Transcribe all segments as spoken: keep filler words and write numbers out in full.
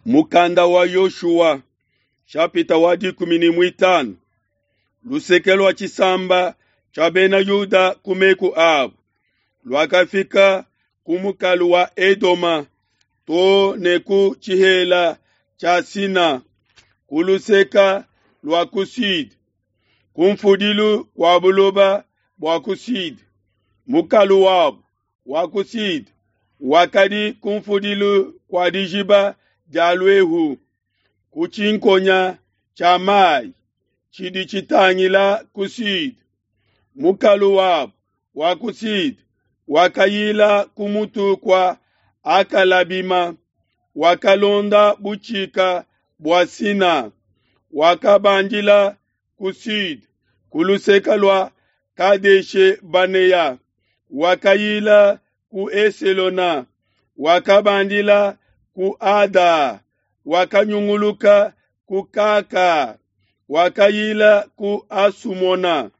Mukanda wa Yoshua shapita wa dikumi ne muitanu luseke lua tshisamba tshia bena Yuda ku meku abu luakafika ku mukalu wa Edoma too ne ku tshihela tshia Sina ku luseke lua ku Sud, ku mfudilu kua buloba bua ku Sud. Mukalu wabu wa ku Sud wakadi ku mfudilu kua dijiba dia Luehu, ku tshinkonya tshia mayi tshidi tshitangila ku Sud. Mukalu wabu wa ku Sud wakayila ku mutu kua Akalabima, wakalonda butshika bua Sina, wakabandila ku Sud ku luseke lua Kadeshe-Banea, wakayila ku Eselona, wakabandila ku Ada, wakanyunguluka ku Kaka, wakayila ku Asumona,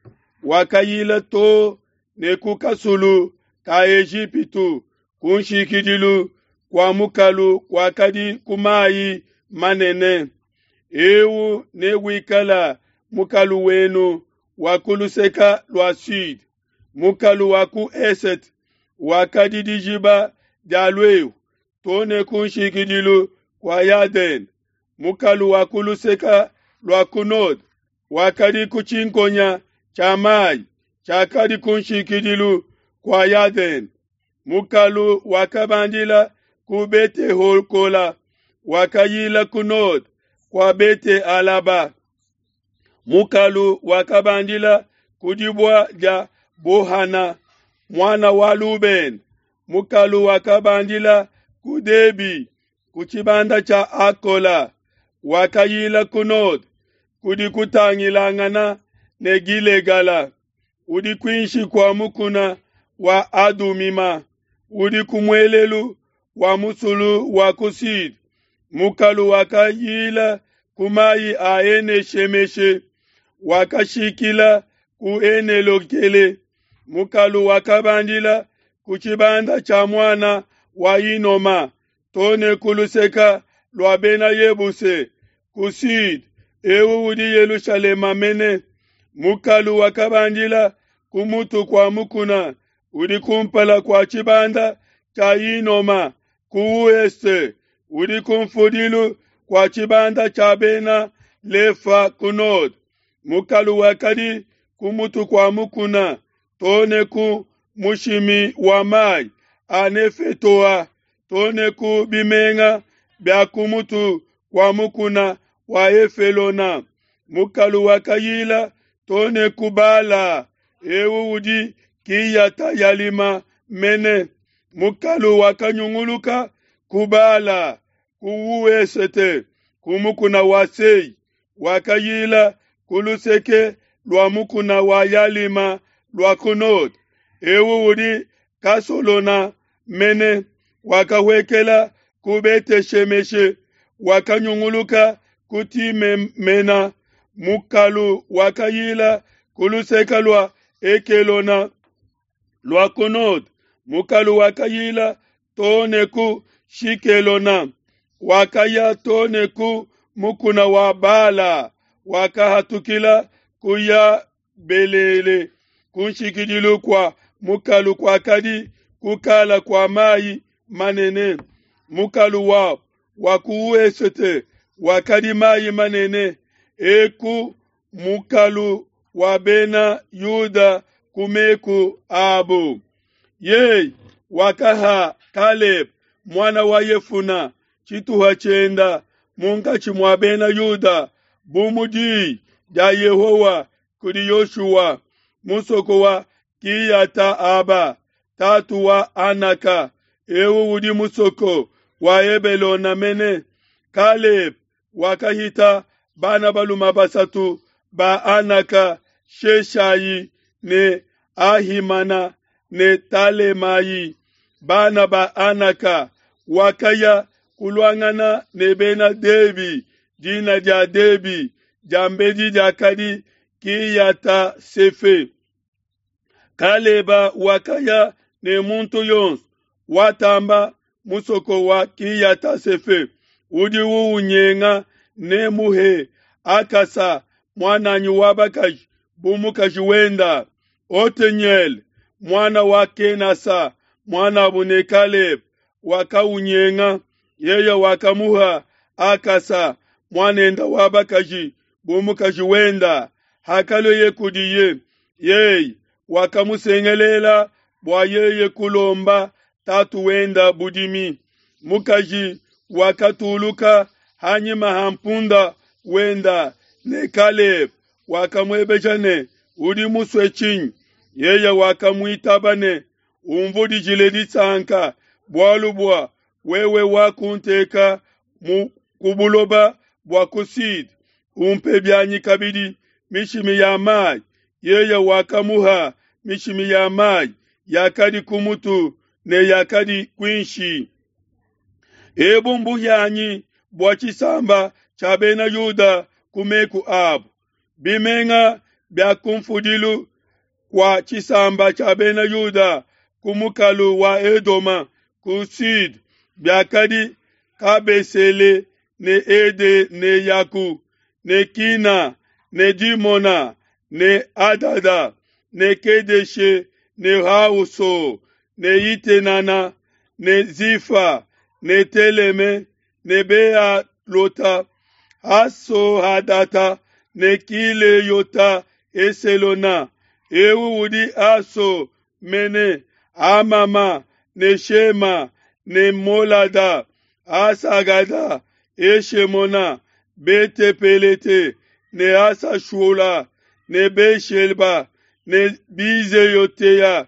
wakayila too ne ku kasulu ka Ejipitu, ku nshikidilu kua mukalu kuakadi ku mayi manene. Eu newikala mukalu wenu wa ku luseke lua Sud. Mukalu wa ku esete wakadi dijiba dia Luehu too ne ku nshikidilu kua Yadene. Mukalu wa ku luseke lua ku node wakadi ku tshinkonya tshia mayi tshiakadi ku nshikidilu kua Yadene. Mukalu wakabandila ku Bete-Hokola, wakayila ku node kua Bete-Alaba. Mukalu wakabandila ku dibua dia Bohana, muana wa Lubene. Mukalu wakabandila ku Debi, ku tshibanda tshia Akola, wakayila ku node kudi kutangilangana ne Gilegala, udi kuinshi kua mukuna wa Adumima, udi ku muelelu wa musulu wa ku Sud. Mukalu wakayila ku mayi a Ene-Shemeshe, wakashikila ku Ene-Lokele. Mukalu wakabandila ku tshibanda tshia muana wa Inoma, too ne ku luseke lua bena Yebuse ku Sud, eu udi Yelushalema mene. Mukalu wakabandila ku mutu kua mukuna udi kumpala kua tshibanda tshia Inoma ku ouest, udi ku mfudilu kua tshibanda tshia bena Lefa ku node. Mukalu wakadi ku mutu kua mukuna too ne ku mushimi wa mayi a Nefetoa, too ne ku bimenga bia ku mutu kua mukuna wa Efelona. Mukalu wakayila too ne ku Bala, eu udi Kiyata-Yalima mene. Mukalu wakanyunguluka ku Bala ku ouest, ku mukuna wa Sei, wakayila ku luseke lua mukuna wa Yalima lua ku node, eu udi Kasolona mene. Wakawekela ku Bete-Shemeshe, wakanyunguluka ku Timemena. Mukalu wakayila ku luseke lua Ekelona lua ku node. Mukalu wakayila too ne ku Shikelona, wakaya too ne ku mukuna wa Bala, wakahatukila ku Yabelele. Ku nshikidilu kua mukalu kuakadi kukala kua mayi manene. Mukalu wabu wa ku ouest wakadi mayi manene, eku mukalu wa bena Yuda ku meku abu. Yeye wakaha Kalebe muana wa Yefuna tshituha tshienda munkatshi mua bena Yuda, bu mu diyi dia Yehowa kudi Yoshua, musoko wa Kiyata-Aba, tatu wa Anaka, eu udi musoko wa Hebelona mene. Kalebe wakahita bana balume basatu ba Anaka, Sheshayi ne Ahimana ne Talemayi. Bana ba Anaka wakaya kuluangana ne bena Debi. Dina dia Debi diambedi diakadi Kiyata-Sefe. Kaleba wakaya ne muntu yonso watamba musoko wa Kiyata-Sefe, Udi uwunyenga nemuhe Akasa muananyi wa bakaji bu mukaji wenda. Oteniele muana wa Kenasa muanabu ne Kalebe wakawunyenga, yeye wakamuha Akasa muanenda wa bakaji bu mukaji wenda. Hakalueye kudiye, yeye wakamusengelela bua yeye kulomba tatu wenda budimi. Mukaji wakatuluka hanyima ha mpunda wenda ne Kalebe wakamuebeja ne, udi musue tshinyi? Yeye wakamuitaba ne, umvudijile disanka, bualu bua wewe wakunteka mu ku buloba bua ku Sud, umpe bianyi kabidi mishimi ya mayi. Yeye wakamuha mishimi ya mayi yakadi ku mutu ne yakadi kuinshi. Ebu mbuhianyi bua tshisamba tshia bena Yuda ku meku abu. Bimenga bia kumfudilu kua tshisamba tshia bena Yuda ku mukalu wa Edoma ku Sud biakadi Kabesele ne Ede ne Yaku ne Kina ne Dimona ne Adada ne Kedeshe ne Hauso ne Itenana ne Zifa ne Teleme ne Bealota Haso-Hadata ne Kileyota Eselona. Eu udi Aso mene Amama ne Shema ne Molada Asagada Eshemona Bete-Pelete ne Asashula ne Beshelba ne Bizeyotea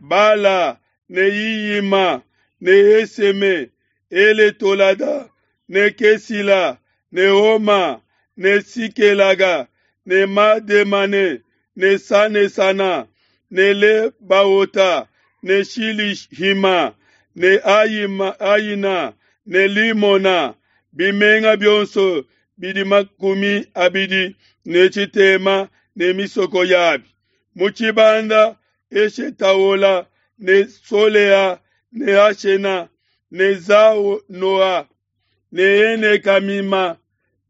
Bala ne Iyima ne Eseme Eletolada ne Kesila ne Oma ne Sikelaga ne Mademane ne Sanesana ne Lebaota ne Shilihima ne Ayima, Ayina ne Limona. Bimenga bionso bidi makumi abidi ne tshitema ne misoko yabi. Mu tshibanda Eshetaola ne Solea ne Ashena ne Zanoa ne Enekamima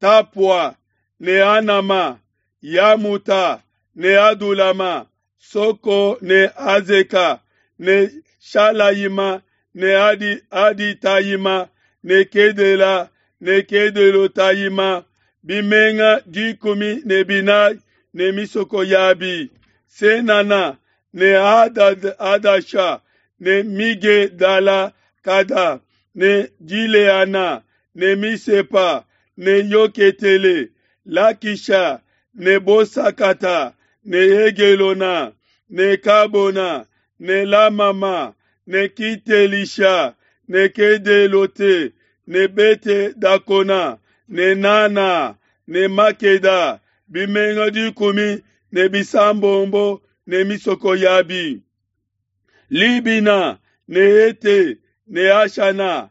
Tapua ne Anama Yamuta ne Adulama Soko ne Azeka ne Shalayima ne Adi Aditayima ne Kedela ne Kedelotayima. Bimenga dikumi ne binayi ne misoko yabi. Senana ne Adad Adasha ne Migedala Kada ne Gileana ne Misepa ne Yoketele Lakisha ne Bosakata ne Egelona ne Kabona ne Lamama ne Kitelisha ne Kedelote ne Bete Dakona ne Nana ne Makeda. Bimenga dikumi ne bisambombo ne misoko yabi. Libina ne Ete ne Ashana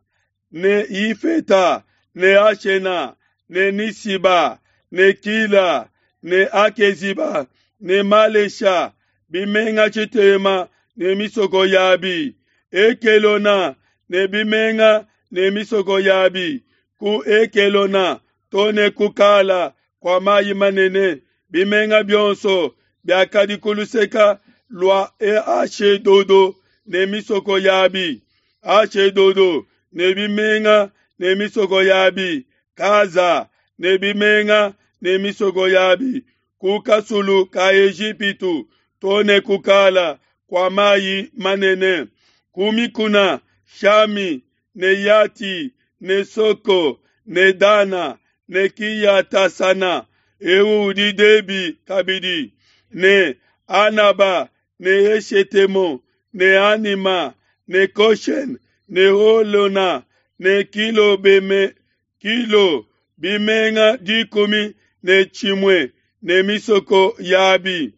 ne Ifeta ne Ashena ne Nisiba ne Kila ne Akeziba ne Malesha. Bimenga tshitema ne misoko yabi. Ekelona ne bimenga ne misoko yabi. Ku Ekelona tone kukala kwa mayi manene. Bimenga bionso biakadi ku luseka lua Ashedodo ne misoko yabi. Ashedodo ne bimenga ne misoko yabi. Kaza ne bimenga ne misoko yabi. Ku kasulu ka Ejipitu tone kukala kwa mayi manene. Ku mikuna Shami ne Yati ne Soko ne Dana ne Kiyatasana. Eu udi Debi kabidi ne Anaba ne Eshetemo ne Anima ne Koshen ne Holona ne Kilo beme Kilo bimenga dikumi ne tshimue ne misoko yabi.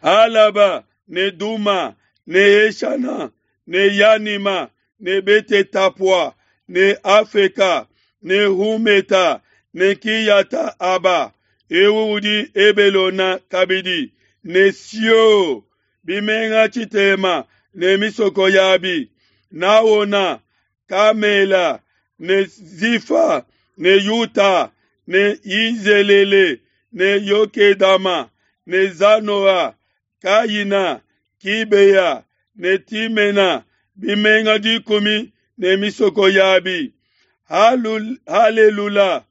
Alaba ne Duma ne Eshana ne Yanima ne Bete Tapua ne Afeka ne Humeta ne Kiyata Aba. Eu udi Ebelona kabidi ne Sio bimenga tshitema ne misoko yabi. Naona Kamela ne Zifa ne Yuta ne Yizelele ne Yokedama ne Zanoa, Kayina, Kibeya ne Timena, bimenga dikumi ne misoko yabi. Halelula,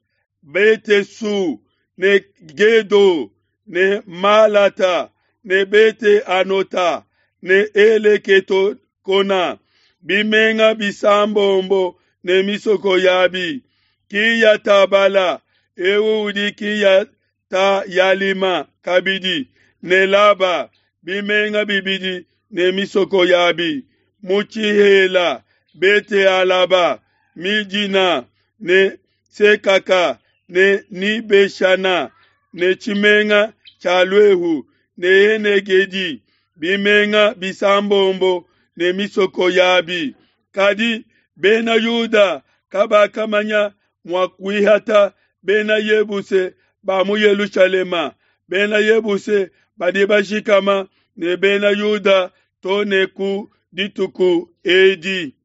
Bete-Su ne Gedo ne Malata ne Bete-Anota ne Eleketokona, bimenga bisambombo ne misoko yabi. Kiyatabala, eu udi Kiyata-Yalima kabidi, ne Laba, bimenga bibidi ne misoko yabi. Mu tshihela, Bete-Alaba, Midina ne Sekaka ne Nibeshana ne tshimenga tshia Luehu ne Enegedi, bimenga bisambombo ne misoko yabi. Kadi Bena Yuda kabakamanya mua kuihata Bena Yebuse ba mu Yelushalema. Bena Yebuse badi bashikama ne Bena Yuda to ne ku dituku edi.